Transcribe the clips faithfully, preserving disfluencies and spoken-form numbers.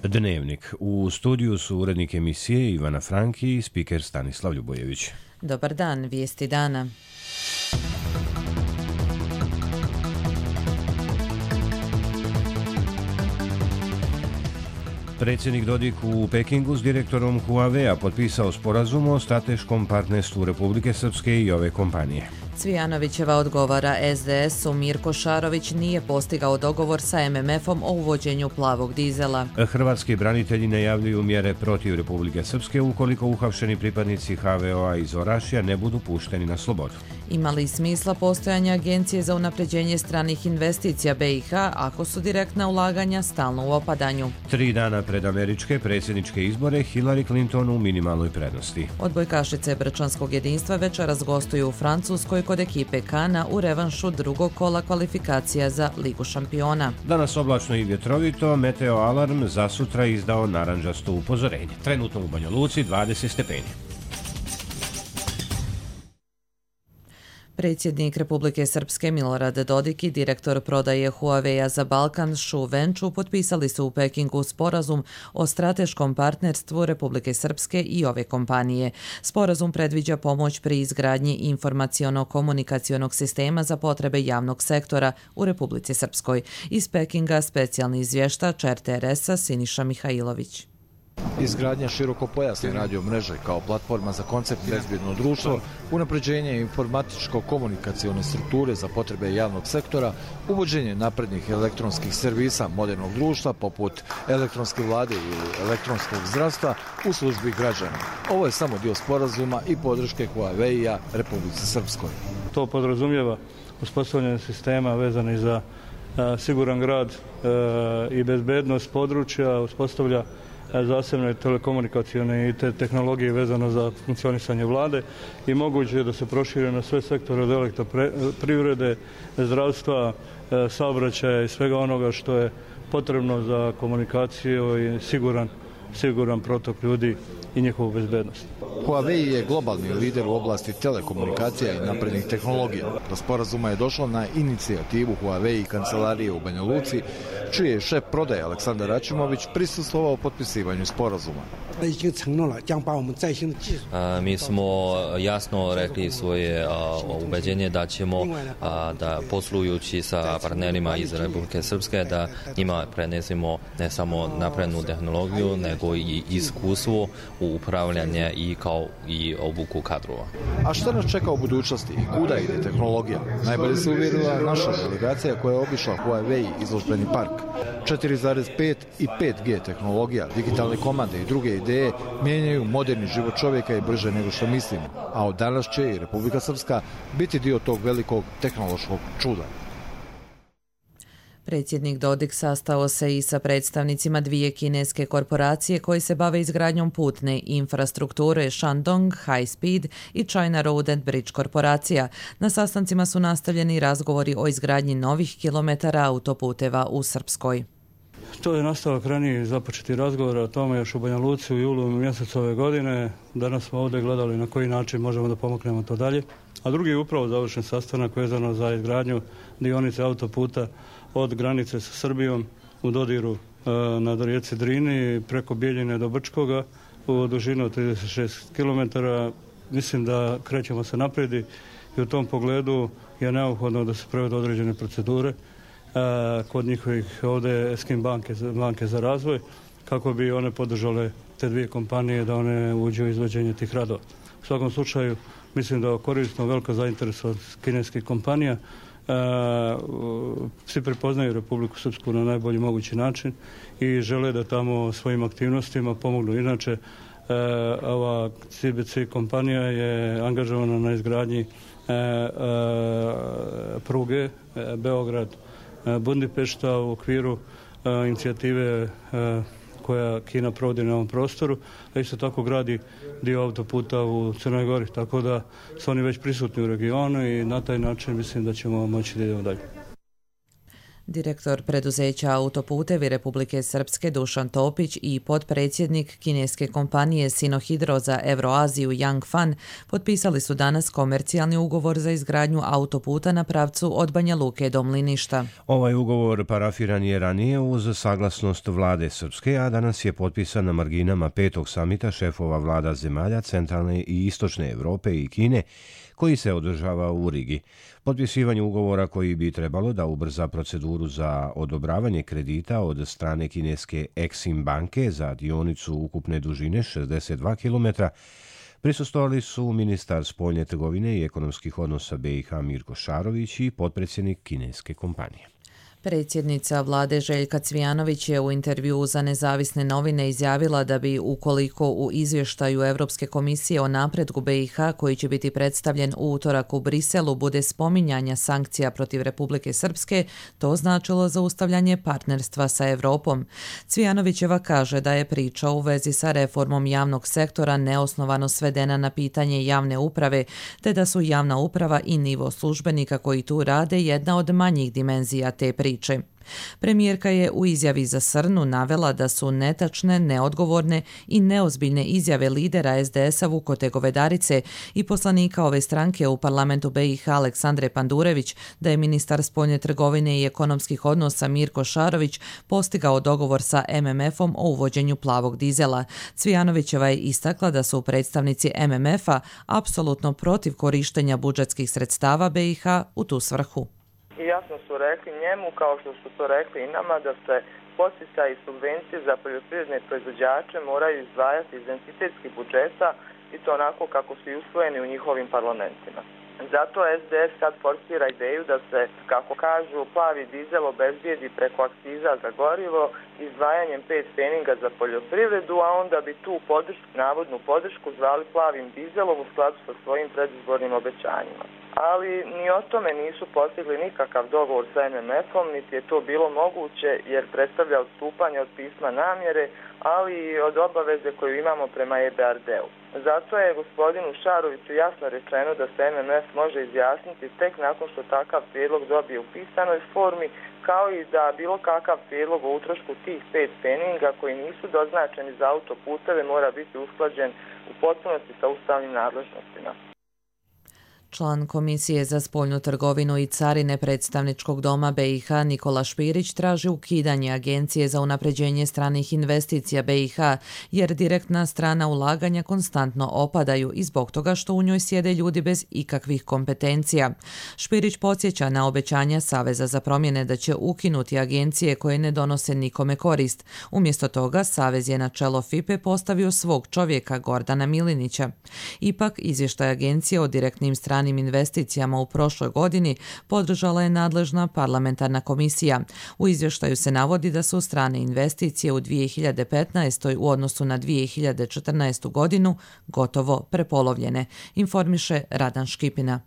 Dnevnik. U studiju su urednik emisije Ivana Franki i spiker Stanislav Ljubojević. Dobar dan, vijesti dana. Predsjednik Dodik u Pekingu s direktorom Huawei-a potpisao sporazum o strateškom partnerstvu Republike Srpske i ove kompanije. Cvijanovićeva odgovara es de esu, Mirko Šarović nije postigao dogovor sa em em efom o uvođenju plavog dizela. Hrvatski branitelji najavljuju mjere protiv Republike Srpske ukoliko uhapšeni pripadnici ha ve o a iz Orašja ne budu pušteni na slobodu. Ima li smisla postojanja Agencije za unapređenje stranih investicija be i ha ako su direktna ulaganja stalno u opadanju? Tri dana pred američke predsjedničke izbore Hillary Clinton u minimalnoj prednosti. Odbojkašice Brčanskog jedinstva večeras gostuju u Francuskoj kod ekipe Kana u revanšu drugog kola kvalifikacija za Ligu šampiona. Danas oblačno i vjetrovito, meteo alarm za sutra izdao naranđasto upozorenje. Trenutno u Banja Luci dvadeset stepeni. Predsjednik Republike Srpske Milorad Dodik i direktor prodaje Huawei-a za Balkan Shu Venču potpisali su u Pekingu sporazum o strateškom partnerstvu Republike Srpske i ove kompanije. Sporazum predviđa pomoć pri izgradnji informaciono-komunikacionog sistema za potrebe javnog sektora u Republici Srpskoj. Iz Pekinga specijalni izvještač er te er esa Siniša Mihajlović. Izgradnja širokopojasne radio mreže kao platforma za koncept bezbjedno društvo, unapređenje informatičko-komunikacione strukture za potrebe javnog sektora, uvođenje naprednih elektronskih servisa modernog društva poput elektronske vlade ili elektronskog zdravstva u službi građana. Ovo je samo dio sporazuma i podrške Huawei-a Republici Srpskoj. To podrazumijeva uspostavljanje sistema vezani za a, siguran grad a, i bezbednost područja, uspostavlja zasebne telekomunikacione i te tehnologije vezano za funkcionisanje vlade i moguće je da se prošire na sve sektore od elektroprivrede, zdravstva, saobraćaja i svega onoga što je potrebno za komunikaciju i siguran, siguran protok ljudi i njihovu bezbednost. Huawei je globalni lider u oblasti telekomunikacija i naprednih tehnologija. Do sporazuma je došlo na inicijativu Huawei i kancelarije u Banja Luci, čiji je šef prodaje Aleksandar Račimović prisustvovao potpisivanju sporazuma. Mi smo jasno rekli svoje ubeđenje da ćemo da poslujući sa partnerima iz Republike Srpske da njima prenesemo ne samo naprednu tehnologiju nego i iskustvo u upravljanje i kao i obuku kadrova. A šta nas čeka u budućnosti i kuda ide tehnologija? Najbolje se uvjerila naša delegacija koja je obišla Huawei izložbeni park. četiri zarez pet i pet ge tehnologija, digitalne komande i druge ideje mijenjaju moderni život čovjeka i brže nego što mislimo. A od danas će i Republika Srpska biti dio tog velikog tehnološkog čuda. Predsjednik Dodik sastao se i sa predstavnicima dvije kineske korporacije koje se bave izgradnjom putne infrastrukture Shandong High Speed i China Road and Bridge korporacija. Na sastancima su nastavljeni razgovori o izgradnji novih kilometara autoputeva u Srpskoj. To je nastavak ranije započeti razgovor o tome još u Banja Luci u julu mjesecu ove godine. Danas smo ovdje gledali na koji način možemo da pomognemo to dalje. A drugi je upravo završen sastanak vezano za izgradnju dionice autoputa od granice sa Srbijom u dodiru e, na rijeci Drini preko Bijeljine do Brčkoga u dužinu od trideset šest kilometara. Mislim da krećemo se naprijed i u tom pogledu je neophodno da se provedu određene procedure e, kod njihovih ovdje Eskim banke, banke za razvoj kako bi one podržale te dvije kompanije da one uđu u izvođenje tih radova. U svakom slučaju mislim da je korisno velika zainteresovanost kineskih kompanija. Uh, svi prepoznaju Republiku Srpsku na najbolji mogući način i žele da tamo svojim aktivnostima pomognu. Inače, uh, ova ce be ce kompanija je angažovana na izgradnji uh, uh, pruge uh, Beograd-Budimpešta u okviru uh, inicijative uh, koja Kina provodi na ovom prostoru, a isto tako gradi dio autoputa u Crnoj Gori, tako da su oni već prisutni u regionu i na taj način mislim da ćemo moći da idemo dalje. Direktor preduzeća Autoputevi Republike Srpske Dušan Topić i potpredsjednik kineske kompanije Sinohydro za Evroaziju Yang Fan potpisali su danas komercijalni ugovor za izgradnju autoputa na pravcu od Banja Luke do Mliništa. Ovaj ugovor parafiran je ranije uz saglasnost vlade Srpske, a danas je potpisan na marginama petog samita šefova vlada zemalja centralne i istočne Evrope i Kine, koji se održava u Rigi. Potpisivanje ugovora koji bi trebalo da ubrza proceduru za odobravanje kredita od strane kineske Exim banke za dionicu ukupne dužine šezdeset dva kilometra prisustvovali su ministar spoljne trgovine i ekonomskih odnosa B i H Mirko Šarović i potpredsjednik kineske kompanije. Predsjednica vlade Željka Cvijanović je u intervjuu za nezavisne novine izjavila da bi, ukoliko u izvještaju Evropske komisije o napretku B i H, koji će biti predstavljen u utorak u Briselu, bude spominjanja sankcija protiv Republike Srpske, to značilo zaustavljanje partnerstva sa Evropom. Cvijanovićeva kaže da je priča u vezi sa reformom javnog sektora neosnovano svedena na pitanje javne uprave, te da su javna uprava i nivo službenika koji tu rade jedna od manjih dimenzija te priče. Premijerka je u izjavi za Srnu navela da su netačne, neodgovorne i neozbiljne izjave lidera es de esa Vukote Govedarice i poslanika ove stranke u parlamentu B i H Aleksandre Pandurević da je ministar spoljne trgovine i ekonomskih odnosa Mirko Šarović postigao dogovor sa em em efom o uvođenju plavog dizela. Cvijanovićeva je istakla da su predstavnici em em efa apsolutno protiv korištenja budžetskih sredstava B i H u tu svrhu. I jasno su rekli njemu, kao što su to rekli i nama, da se podsticaji i subvencije za poljoprivredne proizvođače moraju izdvajati iz entitetskih budžeta i to onako kako su i usvojeni u njihovim parlamentima. Zato es de es sad forsira ideju da se, kako kažu, plavi dizel obezbijedi preko akciza za gorivo izdvajanjem pet pfeninga za poljoprivredu, a onda bi tu podršku, navodnu podršku zvali plavim dizelom u skladu sa svojim predizbornim obećanjima. Ali ni o tome nisu postigli nikakav dogovor sa em em efom, niti je to bilo moguće jer predstavlja odstupanje od pisma namjere, ali i od obaveze koju imamo prema e be er de-u. Zato je gospodinu Šaroviću jasno rečeno da se em em ef može izjasniti tek nakon što takav prijedlog dobije u pisanoj formi, kao i da bilo kakav prijedlog o utrošku tih pet pfeninga koji nisu doznačeni za autoputeve mora biti usklađen u potpunosti sa ustavnim nadležnostima. Član Komisije za spoljnu trgovinu i carine predstavničkog doma B i H Nikola Špirić traži ukidanje Agencije za unapređenje stranih investicija B i H, jer direktna strana ulaganja konstantno opadaju i zbog toga što u njoj sjede ljudi bez ikakvih kompetencija. Špirić podsjeća na obećanja Saveza za promjene da će ukinuti agencije koje ne donose nikome korist. Umjesto toga, Savez je na čelo F I P E postavio svog čovjeka Gordana Milinića. Ipak, izvještaj agencije o direktnim stranim investicijama u prošloj godini podržala je nadležna parlamentarna komisija. U izvještaju se navodi da su strane investicije u dvije hiljade petnaestoj u odnosu na dvije hiljade četrnaestu godinu gotovo prepolovljene, informiše Radan Škipina.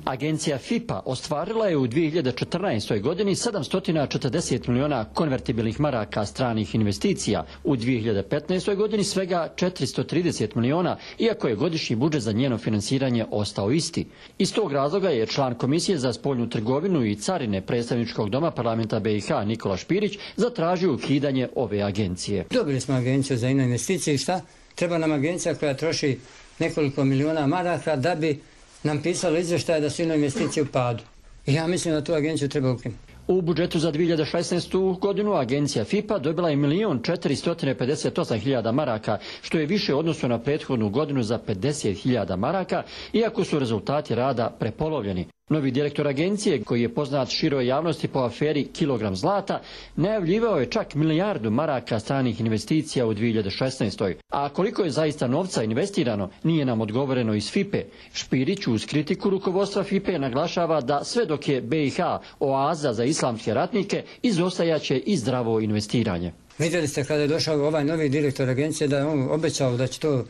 Agencija F I P A ostvarila je u dvije hiljade četrnaestoj godini sedamsto četrdeset miliona konvertibilnih maraka stranih investicija, u dvije hiljade petnaestoj godini svega četiristo trideset miliona, iako je godišnji budžet za njeno finansiranje ostao isti. Iz tog razloga je član Komisije za spoljnu trgovinu i carine predstavničkog doma parlamenta B i H Nikola Špirić zatražio ukidanje ove agencije. Dobili smo agenciju za investicije i šta? Treba nam agencija koja troši nekoliko miliona maraka da bi nam pisalo izvještaje da su investicije u padu. I ja mislim da tu agenciju treba ukinuti. U budžetu za dvije hiljade šesnaestu godinu agencija F I P A dobila je milion četiristo pedeset osam hiljada maraka, što je više u odnosu na prethodnu godinu za pedeset hiljada maraka, iako su rezultati rada prepolovljeni. Novi direktor agencije, koji je poznat široj javnosti po aferi Kilogram zlata, najavljivao je čak milijardu maraka stranih investicija u dvije hiljade šesnaestoj. A koliko je zaista novca investirano, nije nam odgovoreno iz F I P E. Špirić uz kritiku rukovodstva F I P E naglašava da sve dok je B i H oaza za islamske ratnike, izostajaće i zdravo investiranje. Vidjeli ste kada je došao ovaj novi direktor agencije da je on obećao da će to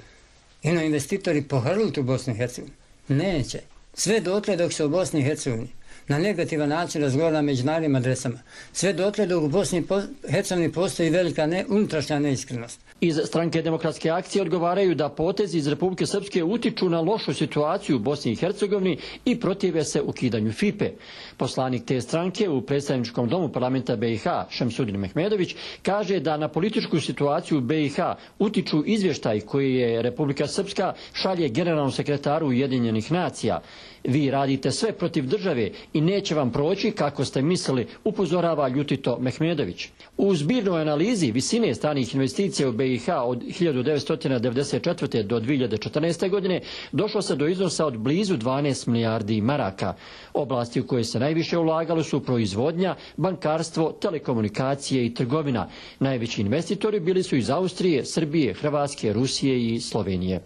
ino investitori pohrliti u Bosnu i Hercegovinu. Neće. Sve dotle dok se u Bosni i Hercegovini na negativan način razgovara na međunarodnim adresama. Sve dotle dok u Bosni i Hercegovini postoji velika ne, unutrašnja neiskrenost. Iz Stranke demokratske akcije odgovaraju da potezi iz Republike Srpske utiču na lošu situaciju u Bosni i Hercegovini i protive se ukidanju F I P E. Poslanik te stranke u predstavničkom domu parlamenta B i H, Šemsudin Mehmedović, kaže da na političku situaciju u B i H utiču izvještaj koji je Republika Srpska šalje generalnom sekretaru Ujedinjenih nacija. Vi radite sve protiv države i neće vam proći kako ste mislili, upozorava ljutito Mehmedović. U zbirnoj analizi visine stranih investicija u B i H od hiljadu devetsto devedeset četvrte. do dvije hiljade četrnaeste. godine došlo se do iznosa od blizu dvanaest milijardi maraka. Oblasti u koje se najviše ulagalo su proizvodnja, bankarstvo, telekomunikacije i trgovina. Najveći investitori bili su iz Austrije, Srbije, Hrvatske, Rusije i Slovenije.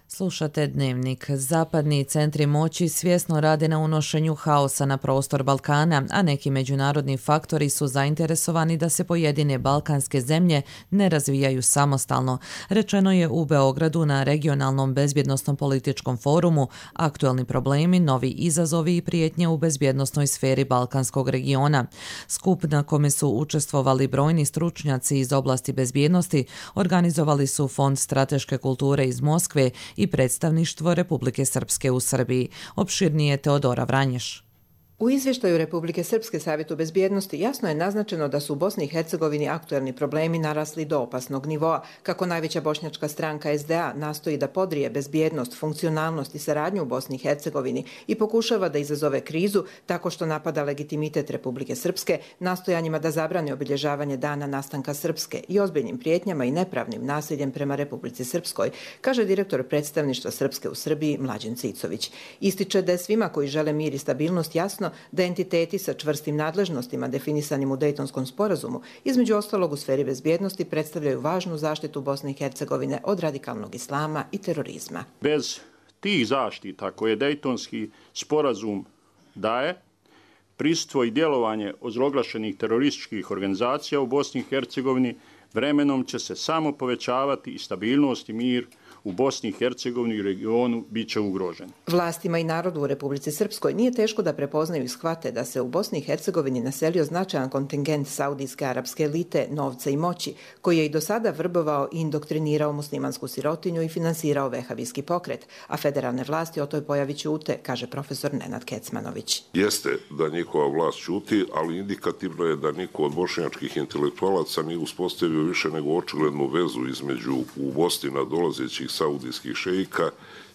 Slušate Dnevnik. Zapadni centri moći svjesno rade na unošenju haosa na prostor Balkana, a neki međunarodni faktori su zainteresovani da se pojedine balkanske zemlje ne razvijaju samostalno. Rečeno je u Beogradu na regionalnom bezbjednosnom političkom forumu Aktualni problemi, novi izazovi i prijetnje u bezbjednosnoj sferi balkanskog regiona. Skup na kome su učestvovali brojni stručnjaci iz oblasti bezbjednosti organizovali su Fond strateške kulture iz Moskve i predstavništvo Republike Srpske u Srbiji. Opširnije Teodora Vranješ. U izvještaju Republike Srpske Savjetu bezbjednosti jasno je naznačeno da su u Bosni i Hercegovini aktuelni problemi narasli do opasnog nivoa, kako najveća bošnjačka stranka S D A nastoji da podrije bezbjednost, funkcionalnost i saradnju u Bosni i Hercegovini i pokušava da izazove krizu tako što napada legitimitet Republike Srpske, nastojanjima da zabrani obilježavanje dana nastanka Srpske i ozbiljnim prijetnjama i nepravnim nasiljem prema Republici Srpskoj, kaže direktor predstavništva Srpske u Srbiji Mlađen Cicović. Ističe da je svima koji žele mir i stabilnost jasno da entiteti sa čvrstim nadležnostima definisanim u Dejtonskom sporazumu, između ostalog u sferi bezbjednosti, predstavljaju važnu zaštitu Bosne i Hercegovine od radikalnog islama i terorizma. Bez tih zaštita koje Dejtonski sporazum daje, prisustvo i djelovanje ozloglašenih terorističkih organizacija u Bosni i Hercegovini vremenom će se samo povećavati i stabilnost i mir u Bosni i Hercegovini i regionu bit će ugrožen. Vlastima i narodu u Republici Srpskoj nije teško da prepoznaju i shvate da se u Bosni i Hercegovini naselio značajan kontingent saudijske arapske elite, novca i moći, koji je i do sada vrbovao i indoktrinirao muslimansku sirotinju i finansirao vehavijski pokret, a federalne vlasti o toj pojavi ćute, kaže profesor Nenad Kecmanović. Jeste da njihova vlast ćuti, ali indikativno je da niko od bošnjačkih intelektualaca nije uspostavio više nego očiglednu vezu između u Bosni nadolazećih saudijskih šejika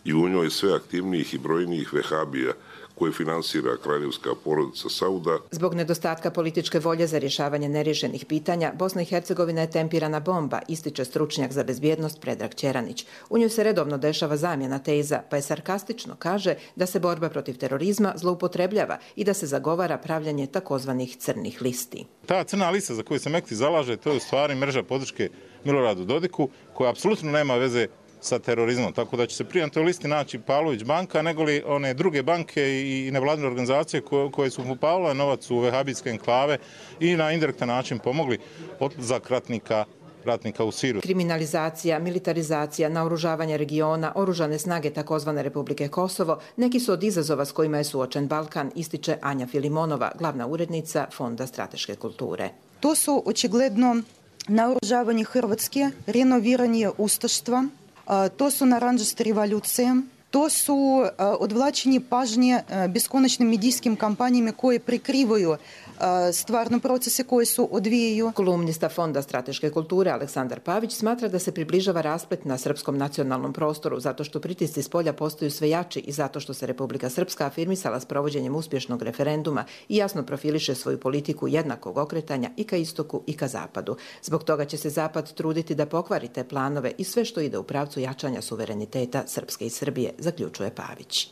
i u njoj sve aktivnijih i brojnijih vehabija koje finansira kraljevska porodica Sauda. Zbog nedostatka političke volje za rješavanje neriješenih pitanja, Bosna i Hercegovina je tempirana bomba, ističe stručnjak za bezbjednost Predrag Ćeranić. U njoj se redovno dešava zamjena teza, pa je sarkastično kaže da se borba protiv terorizma zloupotrebljava i da se zagovara pravljanje takozvanih crnih listi. Ta crna lista za koju se Mekti zalaže, to je u stvari mreža podrške Miloradu Dodiku, koja apsolutno nema veze sa terorizmom, tako da će se prije na toj listi naći Pavlović banka, nego li one druge banke i nevladine organizacije koje, koje su upavile novac u vehabijske enklave i na indirektan način pomogli odlazak ratnika ratnika u Siriju. Kriminalizacija, militarizacija, naoružavanje regiona, oružane snage takozvane Republike Kosovo, neki su od izazova s kojima je suočen Balkan, ističe Anja Filimonova, glavna urednica Fonda strateške kulture. To su očigledno naoružavanje Hrvatske, renoviranje ustaštva, to su naranđaste revolucije, to su odvlačenje pažnje beskonačnim medijskim kampanjama koje prikrivaju stvarno procese koje su odvijaju. Kolumnista Fonda strateške kulture Aleksandar Pavić smatra da se približava rasplet na srpskom nacionalnom prostoru zato što pritisci s polja postaju sve jači i zato što se Republika Srpska afirmisala s provođenjem uspješnog referenduma i jasno profiliše svoju politiku jednakog okretanja i ka istoku i ka zapadu. Zbog toga će se zapad truditi da pokvari te planove i sve što ide u pravcu jačanja suvereniteta Srpske i Srbije, zaključuje Pavić.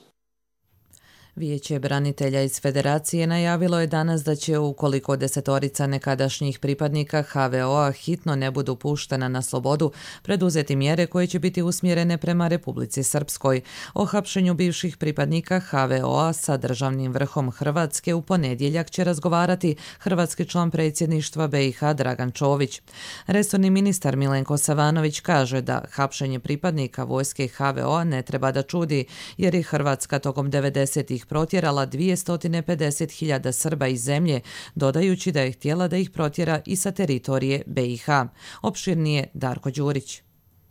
Vijeće branitelja iz Federacije najavilo je danas da će, ukoliko desetorica nekadašnjih pripadnika H V O-a hitno ne budu puštena na slobodu, preduzeti mjere koje će biti usmjerene prema Republici Srpskoj. O hapšenju bivših pripadnika H V O-a sa državnim vrhom Hrvatske u ponedjeljak će razgovarati hrvatski član predsjedništva B i H Dragan Čović. Resorni ministar Milenko Savanović kaže da hapšenje pripadnika vojske H V O-a ne treba da čudi, jer je Hrvatska tokom devedesetih protjerala dvjesto pedeset hiljada Srba iz zemlje, dodajući da je htjela da ih protjera i sa teritorije B i H. Opširnije Darko Đurić.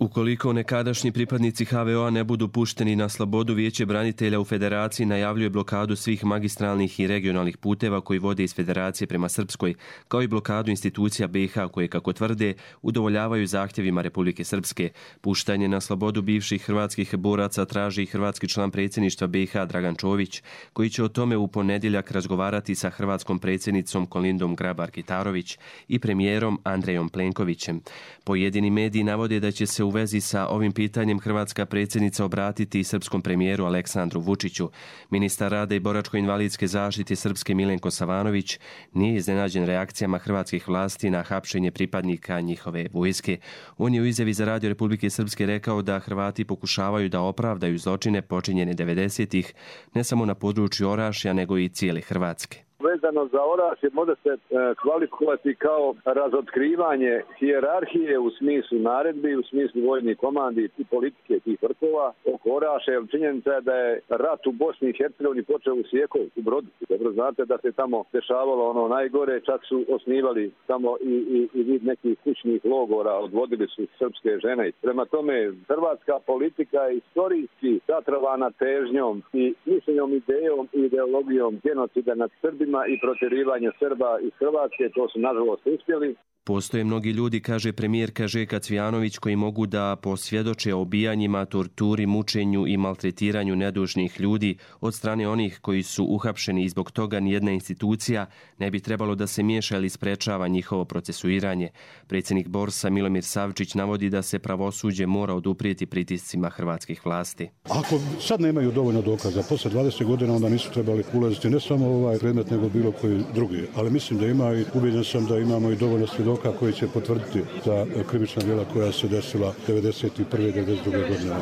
Ukoliko nekadašnji pripadnici H V O-a ne budu pušteni na slobodu, Vijeće branitelja u Federaciji najavljuje blokadu svih magistralnih i regionalnih puteva koji vode iz Federacije prema Srpskoj, kao i blokadu institucija B i H koje, kako tvrde, udovoljavaju zahtjevima Republike Srpske. Puštanje na slobodu bivših hrvatskih boraca traži i hrvatski član predsjedništva B i H Dragan Čović, koji će o tome u ponedjeljak razgovarati sa hrvatskom predsjednicom Kolindom Grabar-Kitarović i premijerom Andrejom Plenkovićem. Pojedini mediji navode da će se u vezi sa ovim pitanjem hrvatska predsjednica obratiti srpskom premijeru Aleksandru Vučiću. Ministar rada i boračko-invalidske zaštite Srpske Milenko Savanović nije iznenađen reakcijama hrvatskih vlasti na hapšenje pripadnika njihove vojske. On je u izjavi za Radio Republike Srpske rekao da Hrvati pokušavaju da opravdaju zločine počinjene devedesetih ne samo na području Orašja nego i cijele Hrvatske. Vezano za Orašje može se e, kvalifikovati kao razotkrivanje hijerarhije u smislu naredbi, u smislu vojnih komandi i politike tih vrhova oko Orašja. Jer činjenica je da je rat u Bosni i Hercegovini počeo u Sjekovu, u Brodu. Dobro znate da se tamo dešavalo ono najgore, čak su osnivali tamo i, i, i vid nekih kućnih logora, odvodili su srpske žene. Prema tome, hrvatska politika je istorijski zatrovana težnjom i mišljenjom, idejom i ideologijom genocida nad Srbima i protjerivanje Srba iz Hrvatske, to su nažalost uspjeli. Postoje mnogi ljudi, kaže premijerka Željka Cvijanović, koji mogu da posvjedoče o ubijanjima, torturi, mučenju i maltretiranju nedužnih ljudi od strane onih koji su uhapšeni i zbog toga nijedna institucija ne bi trebalo da se miješa ili sprečava njihovo procesuiranje. Predsjednik Borsa Milomir Savčić navodi da se pravosuđe mora oduprijeti pritiscima hrvatskih vlasti. Ako sad nemaju dovoljno dokaza, posle dvadeset godina onda nisu trebali ulaziti ne samo ovaj predmet nego bilo koji drugi, ali mislim da ima i ubijeđen sam da imamo i dovoljno svjedoka koji će potvrditi za krivična djela koja se desila devedeset prve do devedeset druge godine.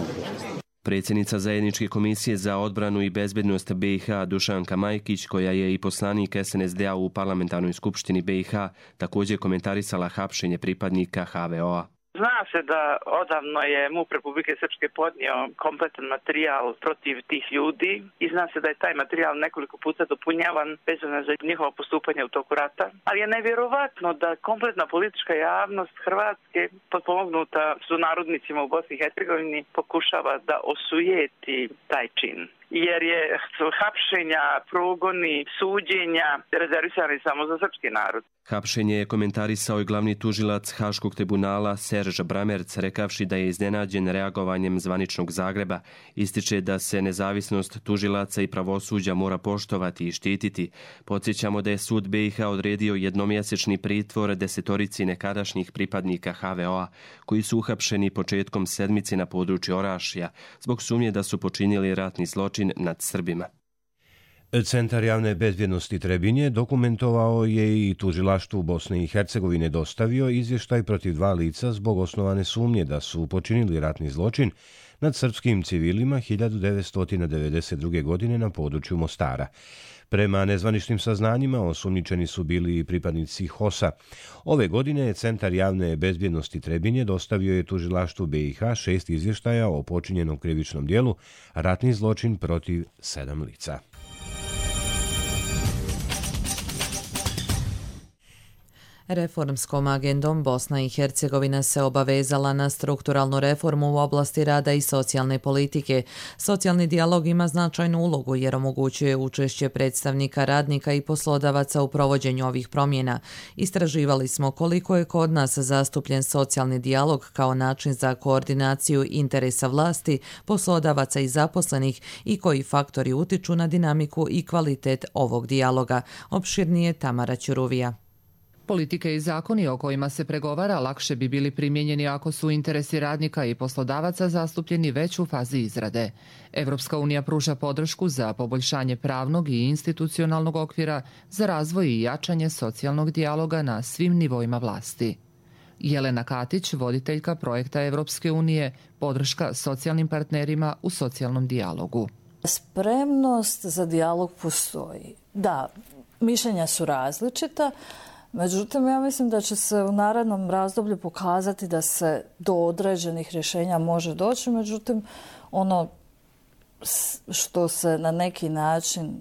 Predsjednica Zajedničke komisije za odbranu i bezbednost B i H Dušanka Majkić, koja je i poslanik S N S D-a u parlamentarnoj skupštini B i H, također komentarisala hapšenje pripadnika H V O-a. Zna se da odavno je MUP Republike Srpske podnio kompletan materijal protiv tih ljudi i zna se da je taj materijal nekoliko puta dopunjavan vezano za njihovo postupanje u toku rata. Ali je nevjerovatno da kompletna politička javnost Hrvatske, potpomognuta sunarodnicima u Bosni i Hercegovini, pokušava da osujeti taj čin. Jer je hapšenja, progoni, suđenja rezervisani samo za srpski narod. Hapšenje je komentarisao i glavni tužilac Haškog tribunala Serž Bramerc, rekavši da je iznenađen reagovanjem zvaničnog Zagreba. Ističe da se nezavisnost tužilaca i pravosuđa mora poštovati i štititi. Podsjećamo da je sud B i H odredio jednomjesečni pritvor desetorici nekadašnjih pripadnika H V O-a, koji su uhapšeni početkom sedmice na području Orašja, zbog sumnje da su počinili ratni zločin nad Srbima. Centar javne bezbjednosti Trebinje dokumentovao je i tužilaštvu Bosne i Hercegovine dostavio izvještaj protiv dva lica zbog osnovane sumnje da su počinili ratni zločin nad srpskim civilima hiljadu devetsto devedeset druge. godine na području Mostara. Prema nezvaničnim saznanjima, osumnjičeni su bili i pripadnici H O S-a. Ove godine je Centar javne bezbjednosti Trebinje dostavio je tužilaštvu B i H šest izvještaja o počinjenom krivičnom dijelu ratni zločin protiv sedam lica. Reformskom agendom Bosna i Hercegovina se obavezala na strukturalnu reformu u oblasti rada i socijalne politike. Socijalni dijalog ima značajnu ulogu jer omogućuje učešće predstavnika radnika i poslodavaca u provođenju ovih promjena. Istraživali smo koliko je kod nas zastupljen socijalni dijalog kao način za koordinaciju interesa vlasti, poslodavaca i zaposlenih i koji faktori utiču na dinamiku i kvalitet ovog dijaloga. Opširnije Tamara Ćuruvija. Politike i zakoni o kojima se pregovara lakše bi bili primijenjeni ako su interesi radnika i poslodavaca zastupljeni već u fazi izrade. Evropska unija pruža podršku za poboljšanje pravnog i institucionalnog okvira za razvoj i jačanje socijalnog dijaloga na svim nivoima vlasti. Jelena Katić, voditeljka projekta Evropske unije, podrška socijalnim partnerima u socijalnom dijalogu. Spremnost za dijalog postoji. Da, mišljenja su različita, međutim, ja mislim da će se u narednom razdoblju pokazati da se do određenih rješenja može doći, međutim, ono što se na neki način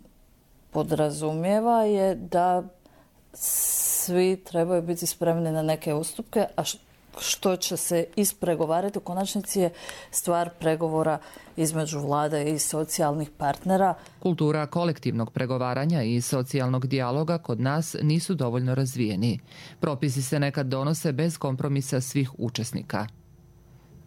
podrazumijeva je da svi trebaju biti spremni na neke ustupke, a što će se ispregovarati u konačnici je stvar pregovora između vlade i socijalnih partnera. Kultura kolektivnog pregovaranja i socijalnog dijaloga kod nas nisu dovoljno razvijeni. Propisi se nekad donose bez kompromisa svih učesnika.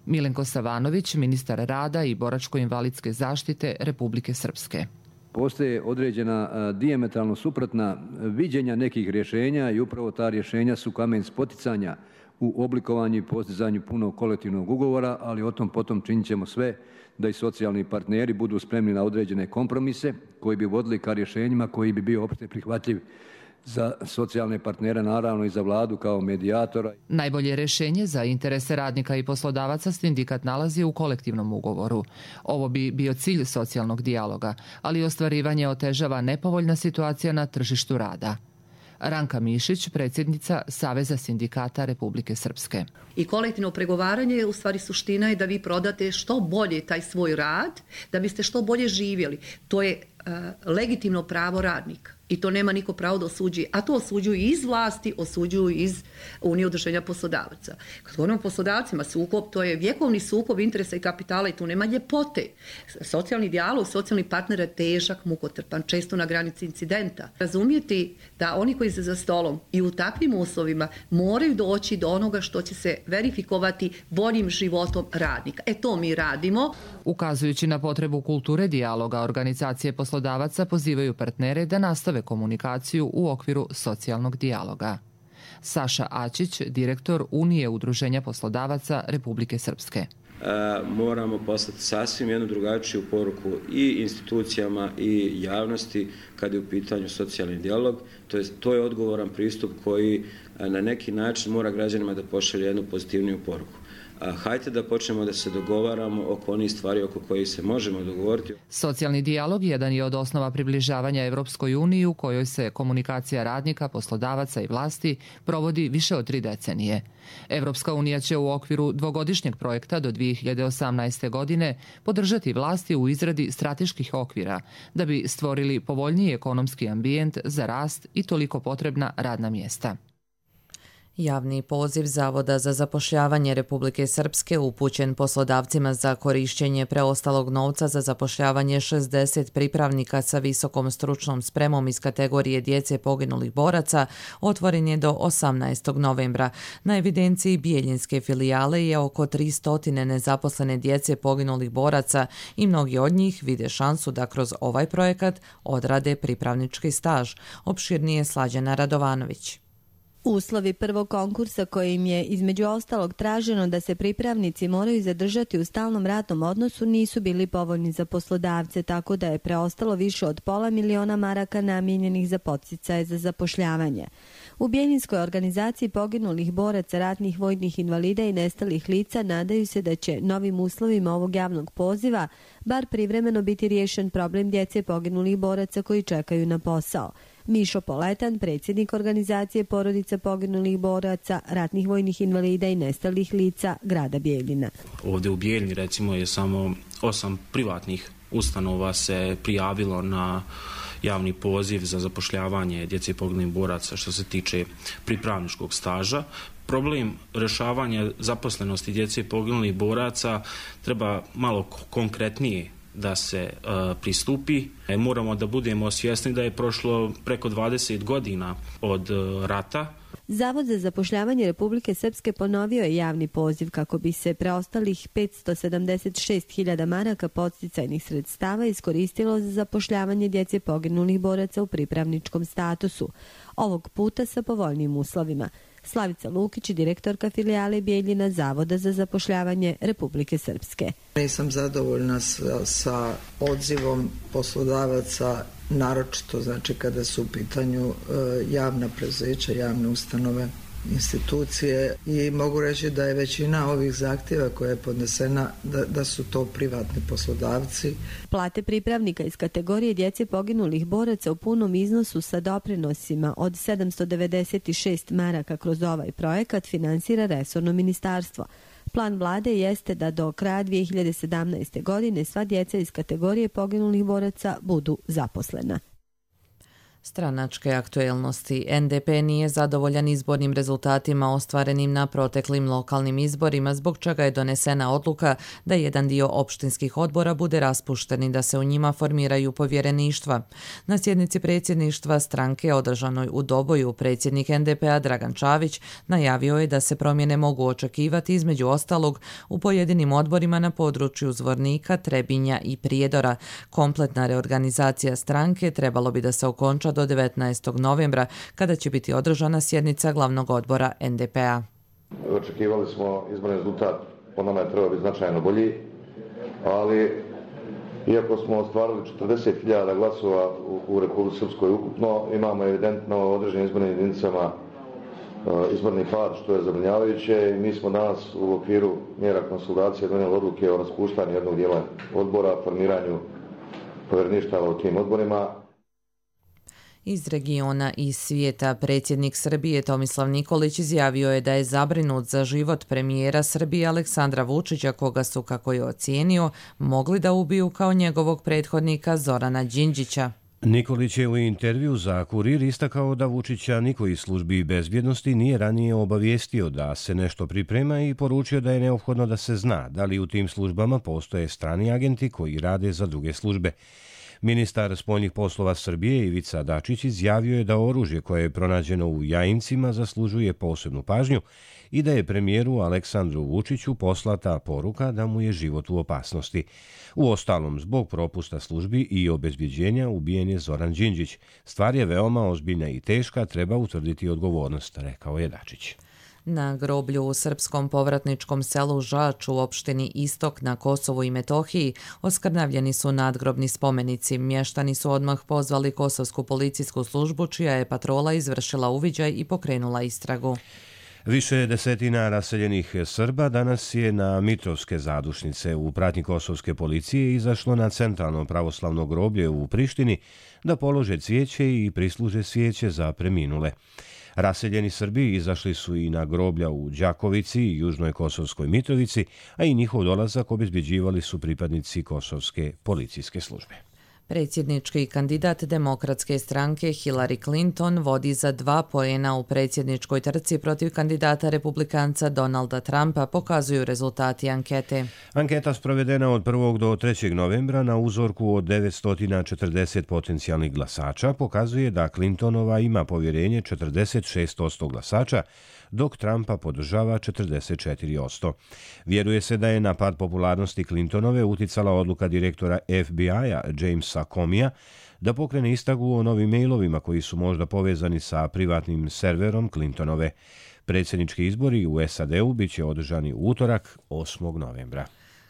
Milenko Savanović, ministar rada i boračko-invalidske zaštite Republike Srpske. Postoje određena dijametralno suprotna viđenja nekih rješenja i upravo ta rješenja su kamen spoticanja u oblikovanju i postizanju punog kolektivnog ugovora, ali o tom potom činit ćemo sve da i socijalni partneri budu spremni na određene kompromise koji bi vodili ka rješenjima koji bi bio opšte prihvatljiv za socijalne partnere, naravno i za vladu kao medijatora. Najbolje rješenje za interese radnika i poslodavaca sindikat nalazi u kolektivnom ugovoru. Ovo bi bio cilj socijalnog dijaloga, ali ostvarivanje otežava nepovoljna situacija na tržištu rada. Ranka Mišić, predsjednica Saveza sindikata Republike Srpske. I kolektivno pregovaranje je u stvari suština je da vi prodate što bolje taj svoj rad, da biste što bolje živjeli. To je uh, legitimno pravo radnika. I to nema niko pravo da osuđuje. A to osuđuju iz vlasti, osuđuju iz Unije udruženja poslodavaca. Kad govorimo o poslodavcima, sukob, to je vjekovni sukob interesa i kapitala i tu nema ljepote. Socijalni dijalog, socijalni partner je težak, mukotrpan, često na granici incidenta. Razumijeti da oni koji se za stolom i u takvim uslovima moraju doći do onoga što će se verifikovati boljim životom radnika. E to mi radimo. Ukazujući na potrebu kulture dijaloga, organizacije poslodavaca pozivaju partnere da nastave komunikaciju u okviru socijalnog dijaloga. Saša Ačić, direktor Unije udruženja poslodavaca Republike Srpske. Moramo poslati sasvim jednu drugačiju poruku i institucijama i javnosti kad je u pitanju socijalni dijalog. To je, to je odgovoran pristup koji na neki način mora građanima da pošalje jednu pozitivniju poruku. Hajde da počnemo da se dogovaramo oko onih stvari oko kojih se možemo dogovoriti. Socijalni dijalog jedan je od osnova približavanja Evropskoj uniji u kojoj se komunikacija radnika, poslodavaca i vlasti provodi više od tri decenije. Evropska unija će u okviru dvogodišnjeg projekta do dvije hiljade osamnaeste. godine podržati vlasti u izradi strateških okvira da bi stvorili povoljniji ekonomski ambijent za rast i toliko potrebna radna mjesta. Javni poziv Zavoda za zapošljavanje Republike Srpske upućen poslodavcima za korišćenje preostalog novca za zapošljavanje šezdeset pripravnika sa visokom stručnom spremom iz kategorije djece poginulih boraca otvoren je do osamnaestog novembra. Na evidenciji Bijeljinske filijale je oko tristo nezaposlene djece poginulih boraca i mnogi od njih vide šansu da kroz ovaj projekat odrade pripravnički staž. Opširnije Slađana Radovanović. Uslovi prvog konkursa kojim je između ostalog traženo da se pripravnici moraju zadržati u stalnom radnom odnosu nisu bili povoljni za poslodavce, tako da je preostalo više od pola miliona maraka namijenjenih za podsticaje za zapošljavanje. U Bijeljinskoj organizaciji poginulih boraca, ratnih vojnih invalida i nestalih lica nadaju se da će novim uslovima ovog javnog poziva bar privremeno biti riješen problem djece poginulih boraca koji čekaju na posao. Mišo Poletan, predsjednik organizacije porodica poginulih boraca, ratnih vojnih invalida i nestalih lica grada Bijeljina. Ovdje u Bijeljini recimo je samo osam privatnih ustanova se prijavilo na javni poziv za zapošljavanje djece poginulih boraca što se tiče pripravničkog staža. Problem rješavanja zaposlenosti djece poginulih boraca treba malo konkretnije da se uh, pristupi. E, moramo da budemo svjesni da je prošlo preko dvadeset godina od uh, rata. Zavod za zapošljavanje Republike Srpske ponovio je javni poziv kako bi se preostalih petsto sedamdeset šest hiljada maraka podsticajnih sredstava iskoristilo za zapošljavanje djece poginulih boraca u pripravničkom statusu. Ovog puta sa povoljnim uslovima. Slavica Lukić, direktorka filijale Bijeljina Zavoda za zapošljavanje Republike Srpske. Nisam zadovoljna sa, sa odzivom poslodavaca, naročito znači kada su u pitanju e, javna preduzeća, javne ustanove, institucije i mogu reći da je većina ovih zahtjeva koja je podnesena da, da su to privatni poslodavci. Plate pripravnika iz kategorije djece poginulih boraca u punom iznosu sa doprinosima od sedamsto devedeset šest maraka kroz ovaj projekat finansira resorno ministarstvo. Plan vlade jeste da do kraja dvije hiljade sedamnaeste. godine sva djeca iz kategorije poginulih boraca budu zaposlena. Stranačke aktuelnosti. en de pe nije zadovoljan izbornim rezultatima ostvarenim na proteklim lokalnim izborima, zbog čega je donesena odluka da jedan dio opštinskih odbora bude raspušten i da se u njima formiraju povjereništva. Na sjednici predsjedništva stranke održanoj u Doboju predsjednik en de pe-a Dragan Čavić najavio je da se promjene mogu očekivati između ostalog u pojedinim odborima na području Zvornika, Trebinja i Prijedora. Kompletna reorganizacija stranke trebalo bi da se okonča do devetnaestog novembra, kada će biti održana sjednica glavnog odbora en de pe-a. Očekivali smo izborni rezultat, po nama je trebao biti značajno bolji, ali iako smo ostvarili četrdeset hiljada glasova u, u Republici Srpskoj ukupno, imamo evidentno određenim izbornim jedinicama izborni pad, što je zabrinjavajuće. Mi smo danas u okviru mjera konsolidacije donijeli odluke o raspuštanju jednog dijela odbora, formiranju povjereništava u tim odborima. Iz regiona i svijeta predsjednik Srbije Tomislav Nikolić izjavio je da je zabrinut za život premijera Srbije Aleksandra Vučića, koga su, kako je ocijenio, mogli da ubiju kao njegovog prethodnika Zorana Đinđića. Nikolić je u intervju za Kurir istakao da Vučića niko iz službi bezbjednosti nije ranije obavijestio da se nešto priprema i poručio da je neophodno da se zna da li u tim službama postoje strani agenti koji rade za druge službe. Ministar spoljnih poslova Srbije Ivica Dačić izjavio je da oružje koje je pronađeno u Jajincima zaslužuje posebnu pažnju i da je premijeru Aleksandru Vučiću poslata poruka da mu je život u opasnosti. Uostalom, zbog propusta službi i obezbjeđenja ubijen je Zoran Đinđić. Stvar je veoma ozbiljna i teška, treba utvrditi odgovornost, rekao je Dačić. Na groblju u srpskom povratničkom selu Žač u opštini Istok na Kosovu i Metohiji oskrnavljeni su nadgrobni spomenici. Mještani su odmah pozvali kosovsku policijsku službu, čija je patrola izvršila uviđaj i pokrenula istragu. Više desetina raseljenih Srba danas je na Mitrovske zadušnice u pratnji kosovske policije izašlo na centralno pravoslavno groblje u Prištini da polože cvijeće i prisluže svijeće za preminule. Raseljeni Srbi izašli su i na groblja u Đakovici i Južnoj Kosovskoj Mitrovici, a i njihov dolazak obezbeđivali su pripadnici kosovske policijske službe. Predsjednički kandidat demokratske stranke Hillary Clinton vodi za dva poena u predsjedničkoj trci protiv kandidata republikanca Donalda Trumpa, pokazuju rezultati ankete. Anketa sprovedena od prvog do trećeg novembra na uzorku od devetsto četrdeset potencijalnih glasača pokazuje da Clintonova ima povjerenje četrdeset šest posto glasača, dok Trumpa podržava četrdeset četiri posto. Vjeruje se da je na pad popularnosti Clintonove uticala odluka direktora F B I-a Jamesa Comeyja da pokrene istragu o novim mailovima koji su možda povezani sa privatnim serverom Clintonove. Predsjednički izbori u S A D-u bit će održani u utorak osmog novembra.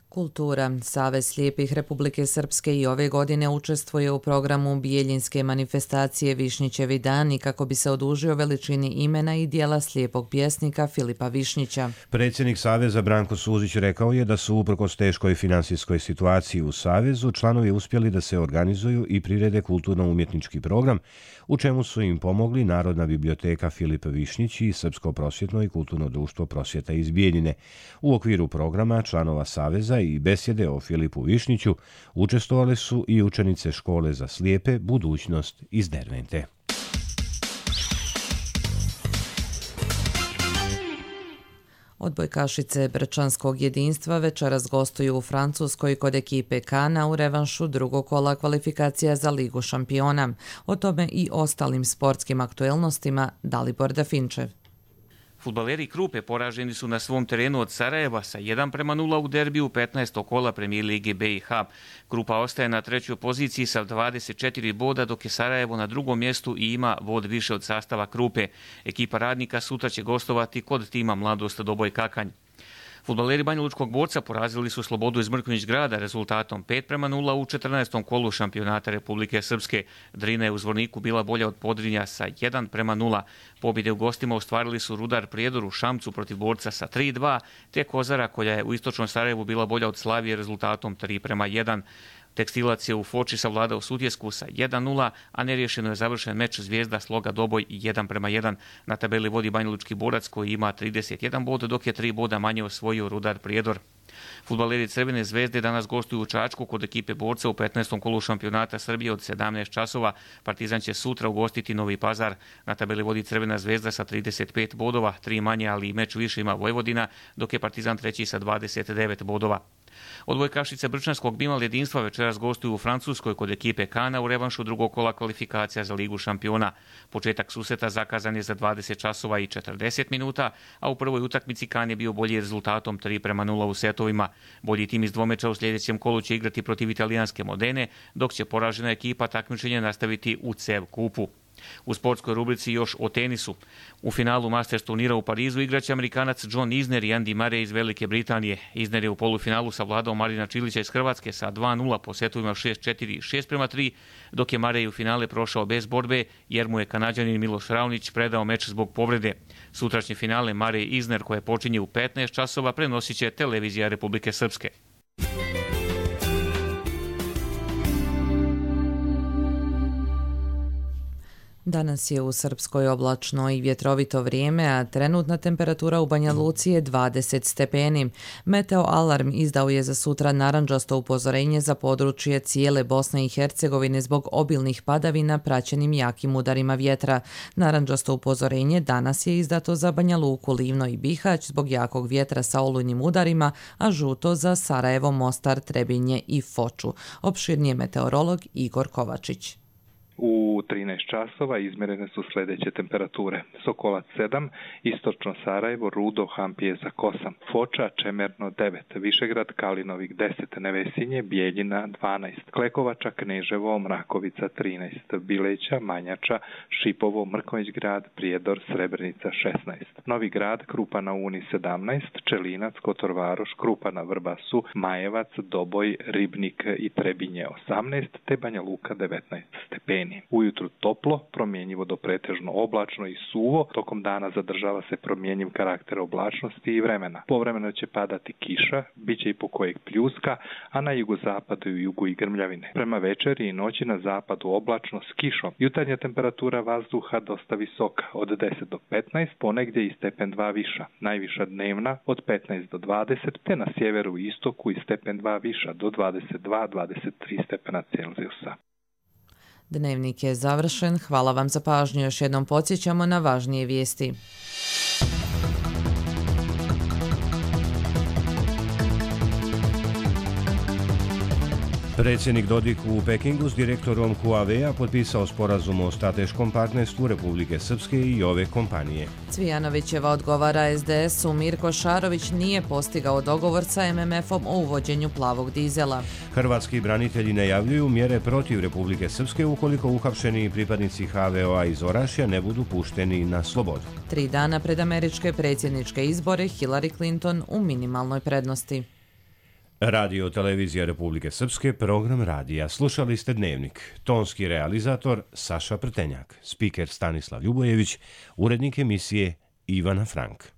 Kultura. Savez slijepih Republike Srpske i ove godine učestvuje u programu Bijeljinske manifestacije Višnjićevi dani kako bi se odužio veličini imena i dijela slijepog pjesnika Filipa Višnjića. Predsjednik Saveza Branko Suzić rekao je da su uprkos teškoj finansijskoj situaciji u Savezu članovi uspjeli da se organizuju i prirede kulturno-umjetnički program, u čemu su im pomogli Narodna biblioteka Filip Višnjić i Srpsko prosvjetno i kulturno društvo Prosvjeta iz Bijeljine. U okviru programa članova Saveza i besjede o Filipu Višnjiću učestvovale su i učenice škole za slijepe Budućnost iz Dervente. Odbojkašice Brčanskog jedinstva večeras gostuju u Francuskoj kod ekipe Kana u revanšu drugog kola kvalifikacija za Ligu šampiona. O tome i ostalim sportskim aktuelnostima Dalibor Dafinčev. Fudbaleri Krupe poraženi su na svom terenu od Sarajeva sa jedan prema nula u derbiju petnaestog kola Premijer Lige B i H. Krupa ostaje na trećoj poziciji sa dvadeset četiri boda, dok je Sarajevo na drugom mjestu i ima bod više od sastava Krupe. Ekipa Radnika sutra će gostovati kod tima Mladost Doboj Kakanj. Fudbaleri Banjalučkog Borca porazili su Slobodu iz Mrkonjić Grada rezultatom pet prema nula u četrnaestom kolu šampionata Republike Srpske. Drina je u Zvorniku bila bolja od Podrinja sa jedan prema nula. Pobjede u gostima ostvarili su Rudar Prijedor u Šamcu protiv Borca sa tri dva, te Kozara koja je u istočnom Sarajevu bila bolja od Slavije rezultatom tri prema jedan. Tekstilac je u Foči savladao Sutjesku sa jedan nula, a neriješeno je završen meč Zvijezda Sloga Doboj jedan prema jedan. Na tabeli vodi Banjalučki borac koji ima trideset jedan bod, dok je tri boda manje osvojio Rudar Prijedor. Fudbaleri Crvene zvezde danas gostuju u Čačku kod ekipe Borca u petnaestom kolu šampionata Srbije od sedamnaest časova. Partizan će sutra ugostiti Novi Pazar. Na tabeli vodi Crvena zvezda sa trideset pet bodova, tri manje, ali i meč više ima Vojvodina, dok je Partizan treći sa dvadeset devet bodova. Odbojkašice Brčanskog Bimal jedinstva večeras gostuju u Francuskoj kod ekipe Kana u revanšu drugog kola kvalifikacija za Ligu šampiona. Početak susreta zakazan je za dvadeset časova i četrdeset minuta, a u prvoj utakmici Kan je bio bolji rezultatom tri prema nula u setovima. Bolji tim iz dvomeča u sljedećem kolu će igrati protiv italijanske Modene, dok će poražena ekipa takmičenje nastaviti u C E V kupu. U sportskoj rubrici još o tenisu. U finalu Masters turnira u Parizu igraće Amerikanac John Isner i Andy Murray iz Velike Britanije. Isner je u polufinalu savladao Marina Čilića iz Hrvatske sa dva nula po setovima šest četiri i šest prema tri, dok je Murray u finale prošao bez borbe jer mu je Kanađanin Miloš Raonić predao meč zbog povrede. Sutrašnje finale Murray i Isner koje počinje u petnaest časova prenosit će televizija Republike Srpske. Danas je u Srpskoj oblačno i vjetrovito vrijeme, a trenutna temperatura u Banja Luci je dvadeset stepeni. Meteo alarm izdao je za sutra narandžasto upozorenje za područje cijele Bosne i Hercegovine zbog obilnih padavina praćenim jakim udarima vjetra. Narandžasto upozorenje danas je izdato za Banja Luku, Livno i Bihać zbog jakog vjetra sa olujnim udarima, a žuto za Sarajevo, Mostar, Trebinje i Foču. Opširnije meteorolog Igor Kovačić. U trinaest časova izmjerene su sljedeće temperature. Sokolac sedam, istočno Sarajevo, Rudo, Hampijezak osam, Foča, Čemerno devet, Višegrad, Kalinovik deset, Nevesinje, Bijeljina dvanaest, Klekovača, Kneževo, Mrakovica trinaest, Bileća, Manjača, Šipovo, Mrkonjić grad, Prijedor, Srebrenica šesnaest, Novi grad, Krupa na Uni sedamnaest, Čelinac, Kotorvaroš, Krupa na Vrbasu, Majevac, Doboj, Ribnik i Trebinje osamnaest, te Banja Luka devetnaest stepeni. Ujutru toplo, promjenjivo do pretežno oblačno i suvo, tokom dana zadržava se promjenjiv karakter oblačnosti i vremena. Povremeno će padati kiša, bit će i po kojeg pljuska, a na jugozapadu i jugu i grmljavine. Prema večeri i noći na zapadu oblačno s kišom. Jutarnja temperatura vazduha dosta visoka, od deset do petnaest, ponegdje i stepen dva viša. Najviša dnevna od petnaest do dvadeset, te na sjeveru i istoku i stepen dva viša do dvadeset dva do dvadeset tri stepena Celzijusa. Dnevnik je završen. Hvala vam za pažnju. Još jednom podsjećamo na važnije vijesti. Predsjednik Dodik u Pekingu s direktorom Huawei-a potpisao sporazum o strateškom partnerstvu Republike Srpske i ove kompanije. Cvijanovićeva odgovara es de esu, Mirko Šarović nije postigao dogovor sa em em efom o uvođenju plavog dizela. Hrvatski branitelji najavljuju mjere protiv Republike Srpske ukoliko uhapšeni pripadnici ha ve o a iz Orašja ne budu pušteni na slobodu. Tri dana pred američke predsjedničke izbore Hillary Clinton u minimalnoj prednosti. Radio Televizija Republike Srpske, program radija. Slušali ste Dnevnik. Tonski realizator Saša Prtenjak, spiker Stanislav Ljubojević, urednik emisije Ivana Frank.